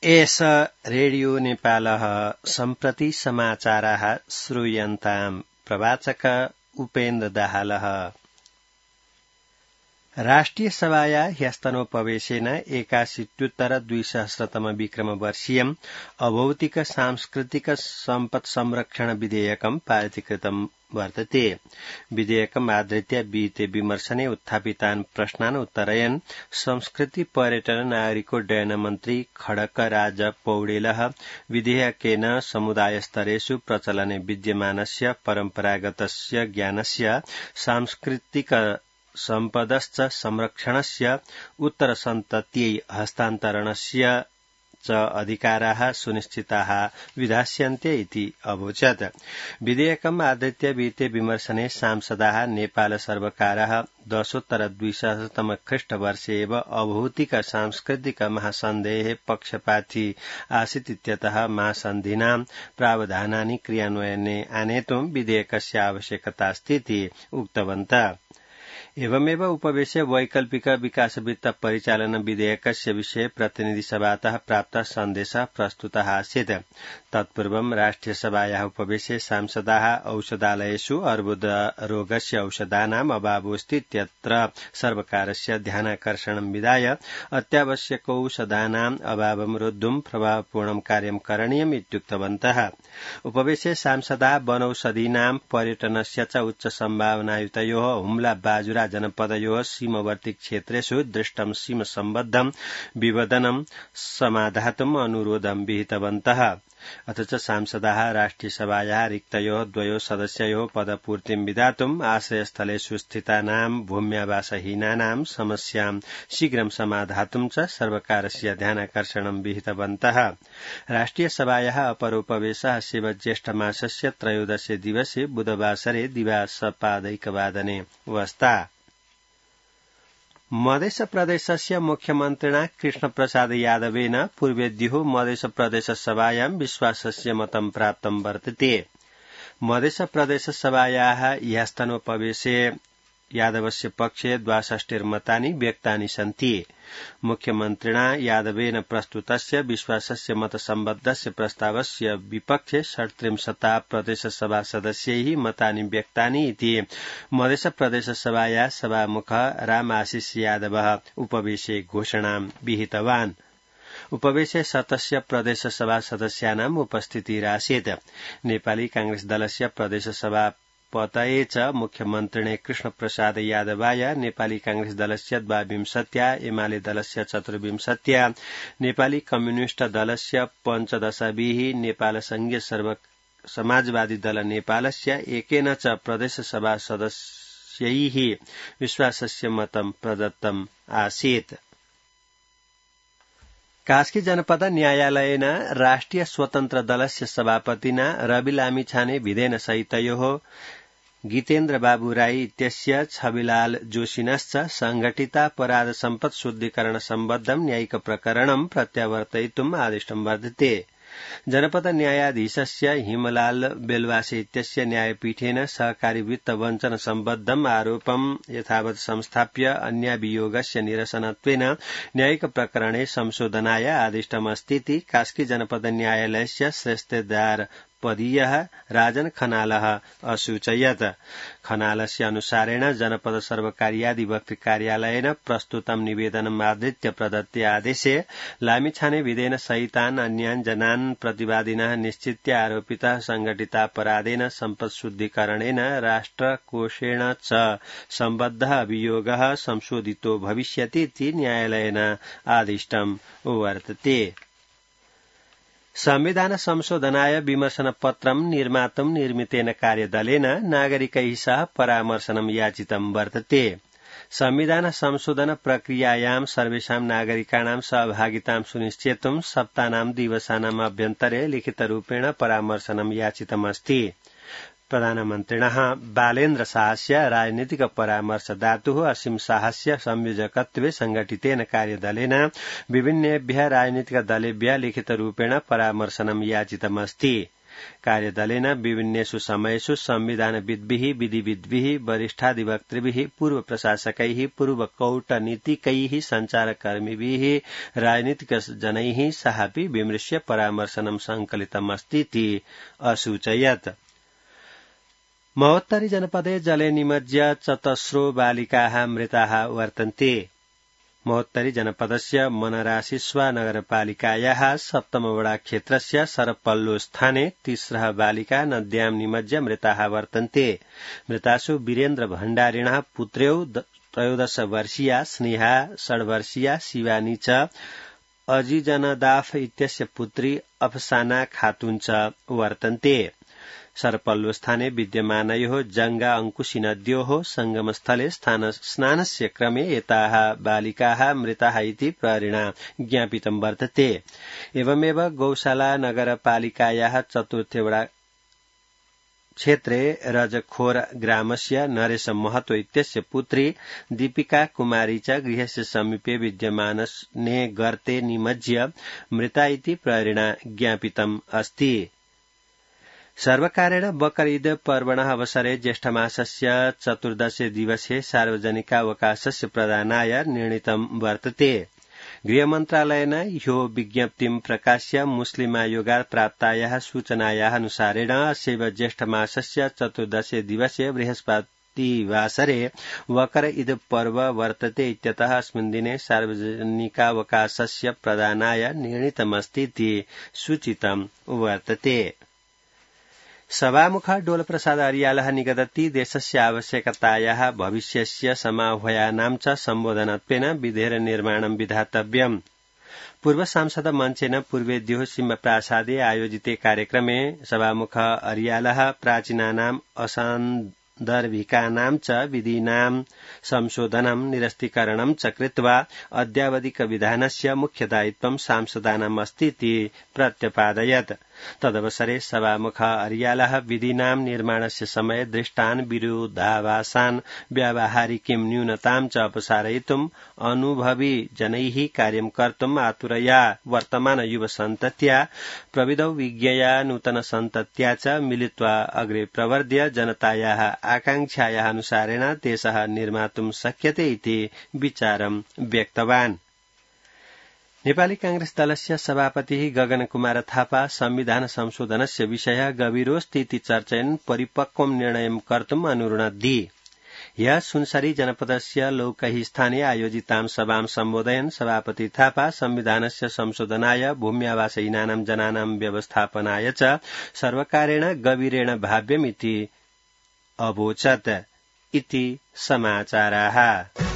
एष रेडियो नेपालः सम्प्रति समाचाराः श्रूयन्ताम् प्रवाचक उपेन्द्र दाहालः। राष्ट्रिय सभाया ह्यस्तनोपवेशेन 81-200 विक्रमवर्षीयम् अभौतिक सांस्कृतिक सम्पत् संरक्षण विधेयकम् पारितीकृतम् वर्तते। विधेयकम् आधृत्य विहिते विमर्शने उत्थापितान् प्रश्नान् उत्तरयन् संस्कृति पर्यटन नागरिकोड्डयन मन्त्री खड्गराज पौडेलः विधेयकेन समुदायस्तरेषु प्रचलने विद्यमानस्य परम्परागतस्य ज्ञानस्य सांस्कृतिक सम्पदश्च संरक्षणस्य उत्तरसन्तत्यै हस्तान्तरणस्य च अधिकाराः सुनिश्चिताः विधास्यन्ते इति अवोचत्। विधेयकम् आधृत्य विहिते विमर्शने सांसदाः नेपाल सर्वकारः 10-200 ख्रीष्टवर्षे एव अभौतिक सांस्कृतिक महासन्धेः पक्षपाती आसीत् इत्यतः महासन्धिनां प्रावधानानि क्रियान्वयने आनेतुं विधेयकस्य आवश्यकतास्ति इति उक्तवन्तः। एवमेव उपवेशे वैकल्पिक विकासवित्त परिचालन विधेयकस्य विषये प्रतिनिधिसभातः प्राप्तः सन्देशः प्रस्तुतः आसीत्। तत्पूर्वं राष्ट्रियसभायाः उपवेशे सांसदाः औषधालयेषु अर्बुदरोगस्य औषधानाम् अभावोऽस्ति इत्यत्र सर्वकारस्य ध्यानाकर्षणं विधाय अत्यावश्यकौषधानाम् अभावं रोद्धुं प्रभावपूर्णं कार्यं करणीयम् इत्युक्तवन्तः। उपवेशे सांसदाः वनौषधीनां पर्यटनस्य च उच्च सम्भावनायुतयोः हुम्ला बाजुरा जनपदयोः सीमवर्ती क्षेत्रेषु दृष्टं सीमसम्बद्धं विवदनं समाधातुम् अनुरोधं विहितवन्तः। अथ च सांसदाः राष्ट्रियसभायाः रिक्तयोः 2 सदस्ययोः पदपूर्तिं विधातुम् आश्रयस्थलेषु स्थितानां भूम्यावासहीनानां समस्यां शीघ्रं समाधातुं च सर्वकारस्य ध्यानाकर्षणं विहितवन्तः। राष्ट्रियसभायाः अपरोपवेशः शिव ज्येष्ठमासस्य 13 दिवसे बुधवासरे दिवासपादैकवादने वस्ता। मध्यप्रदेशस्य मुख्यमन्त्रिणा कृष्णप्रसाद यादवेन पूर्वेद्युः मध्यप्रदेशसभायां विश्वासस्य मतं प्राप्तं वर्तते। मध्यप्रदेशसभायाः ह्यस्तनोपवेशे यादवस्य पक्षे 62 मतानि व्यक्तानि सन्ति। मुख्यमन्त्रिणा यादवेन प्रस्तुतस्य विश्वासस्य मतसम्बद्धस्य प्रस्तावस्य विपक्षे 37 प्रदेशसभा सदस्यैः मतानि व्यक्तानि इति मध्यप्रदेशसभाया सभामुखः रामाशिष यादवः उपवेशे घोषणां विहितवान्। उपवेशे 7 प्रदेशसभा सदस्यानाम् उपस्थितिरासीत्। नेपाली कांग्रेस दलस्य प्रदेशसभा पतये च मुख्यमन्त्रिणे कृष्णप्रसाद यादवाय नेपाली कांग्रेस दलस्य 22, एमाले दलस्य 24, नेपाली कम्युनिष्ट दलस्य 15, नेपाल संघीय समाजवादी दल नेपालस्य 1 च प्रदेशसभा सदस्यैः विश्वासस्य मतं प्रदत्तम् आसीत्। कास्की जनपद न्यायालयेन राष्ट्रिय स्वतन्त्र दलस्य सभापतिना रवि लामिछाने विधेन सहितयोः गीतेन्द्र बाबू राई इत्यस्य छविलाल जोशिनश्च संघटितापराध सम्पत् शुद्धिकरण सम्बद्धं न्यायिक प्रकरणं प्रत्यावर्तयितुम् आदिष्टं वर्तते। जनपद न्यायाधीशस्य हिमलाल बेलवासे इत्यस्य न्यायपीठेन सहकारी वित्त वञ्चन सम्बद्धम् आरोपं यथावत् संस्थाप्य अन्याभियोगस्य निरसनत्वेन न्यायिक प्रकरणे संशोधनाय आदिष्टमस्तीति कास्की जनपद न्यायालयस्य श्रेष्ठदार पदीयः राजन खनालः असूचयत्। खनालस्य अनुसारेण जनपद सर्वकार्याधिवक्तृ कार्यालयेन प्रस्तुतं निवेदनम् आधृत्य प्रदत्ते आदेशे लामिछाने विधेन सहितान् अन्यान् जनान् प्रतिवादिनः निश्चित्य आरोपितः संघटितापराधेन सम्पत्शुद्धिकरणेन राष्ट्रकोषेण च सम्बद्धः अभियोगः संशोधितो भविष्यति इति न्यायालयेन आदिष्टम् वर्तते। संविधान संशोधनाय विमर्शनपत्रं निर्मातुं निर्मितेन कार्यदलेन नागरिकैः सह परामर्शनं याचितं वर्तते। संविधान संशोधन प्रक्रियायां सर्वेषां नागरिकाणां सहभागितां सुनिश्चेतुं सप्ताहनां दिवसानाम् अभ्यन्तरे लिखितरूपेण परामर्शनं याचितमस्ति। प्रधानमन्त्रिणः बालेन्द्र शाहस्य राजनीतिक परामर्शदातुः असीम शाहस्य संयोजकत्वे संघटितेन कार्यदलेन विभिन्नेभ्यः राजनीतिक दलेभ्यः लिखितरूपेण परामर्शनं याचितमस्ति। कार्यदलेन विभिन्नेषु समयेषु संविधानविद्भिः विधिविद्भिः वरिष्ठाधिवक्तृभिः पूर्व प्रशासकैः पूर्व कूटनीतिकैः सञ्चारकर्मिभिः राजनीतिकजनैः सहापि विमृश्य परामर्शनं संकलितमस्तीति असूचयत्। महोत्तरी जनपदे जले निमज्य 14 बालिकाः मृताः वर्तन्ते। महोत्तरी जनपदस्य मनराशिस्वा नगरपालिकायाः सप्तमवडा क्षेत्रस्य सरपल्लो स्थाने 30 बालिका नद्यां निमज्य मृताः वर्तन्ते। मृतासु वीरेन्द्र भण्डारिणः पुत्र्यौ 13 वर्षीया स्नेहा 6 वर्षीया शिवानी च अजीजनदाफ इत्यस्य पुत्री अफसाना खातुन च वर्तन्ते। सरपल्लो स्थाने विद्यमानयोः जंगा अंकुशी नद्योः संगमस्थले स्नानस्य क्रमे एताः बालिकाः मृताः इति प्रहरिणा ज्ञापितं वर्तते। एवमेव गौशाला नगरपालिकायाः चतुर्थेवडा क्षेत्रे रजखोर ग्रामस्य नरेश महतो इत्यस्य पुत्री दीपिका कुमारी च गृहस्य समीपे विद्यमाने गर्ते निमज्य मृता इति प्रहरिणा ज्ञापितम् अस्ति। सर्वकारेण बकर ईद पर्वणः अवसरे ज्येष्ठमासस्य 14 दिवसे सार्वजनिकावकाशस्य प्रदानाय निर्णीतं वर्तते। गृहमन्त्रालयेन ह्यो विज्ञप्तिं प्रकाश्य मुस्लिमायोगात् प्राप्तायाः सूचनायाः अनुसारेण अस्यैव ज्येष्ठमासस्य 14 दिवसे बृहस्पतिवासरे बकर ईद पर्व वर्तते इत्यतः अस्मिन् दिने सार्वजनिकावकाशस्य प्रदानाय निर्णीतमस्तीति सूचितं वर्तते। सभामुख डोलप्रसाद अर्यालः निगदति देशस्य आवश्यकतायाः भविष्यस्य समाह्वयानां च सम्बोधनत्वेन विधेयर निर्माणं विधातव्यम्। पूर्व सांसद मञ्चेन पूर्वेद्योः सिंहप्रासादे आयोजिते कार्यक्रमे सभामुख अर्यालः प्राचीनानां असान्दर्भिकानां च विधीनां संशोधनं निरस्तीकरणं च कृत्वा अद्यावधिकविधानस्य मुख्यदायित्वं सांसदानाम् अस्तीति प्रत्यपादयत्। तदवसरे सभामुख अर्यालः विधीनां निर्माणस्य समये दृष्टान् विरोधाभासान् व्यावहारिकीं न्यूनतां च अपसारयितुम् अनुभवी जनैः कार्यं कर्तुम् आतुरया वर्तमान युवसन्तत्या प्रविधौ विज्ञया नूतनसन्तत्या च मिलित्वा अग्रे प्रवर्ध्य जनतायाः आकांक्षायाः अनुसारेण देशः निर्मातुं शक्यते इति विचारं व्यक्तवान्। नेपाली कांग्रेस दलस्य सभापतिः गगन कुमार थापा संविधान संशोधनस्य विषयः गभीरोऽस्तीति चर्चयन् परिपक्वं निर्णयं कर्तुम् अनुरुणद्धि। ह्यः सुनसरी जनपदस्य लौकही स्थाने आयोजितां सभां सम्बोधयन् सभापति थापा संविधानस्य संशोधनाय भूम्यावासहीनानां जनानां व्यवस्थापनाय च सर्वकारेण गभीरेण भाव्यमिति अवोचत् इति समाचाराः।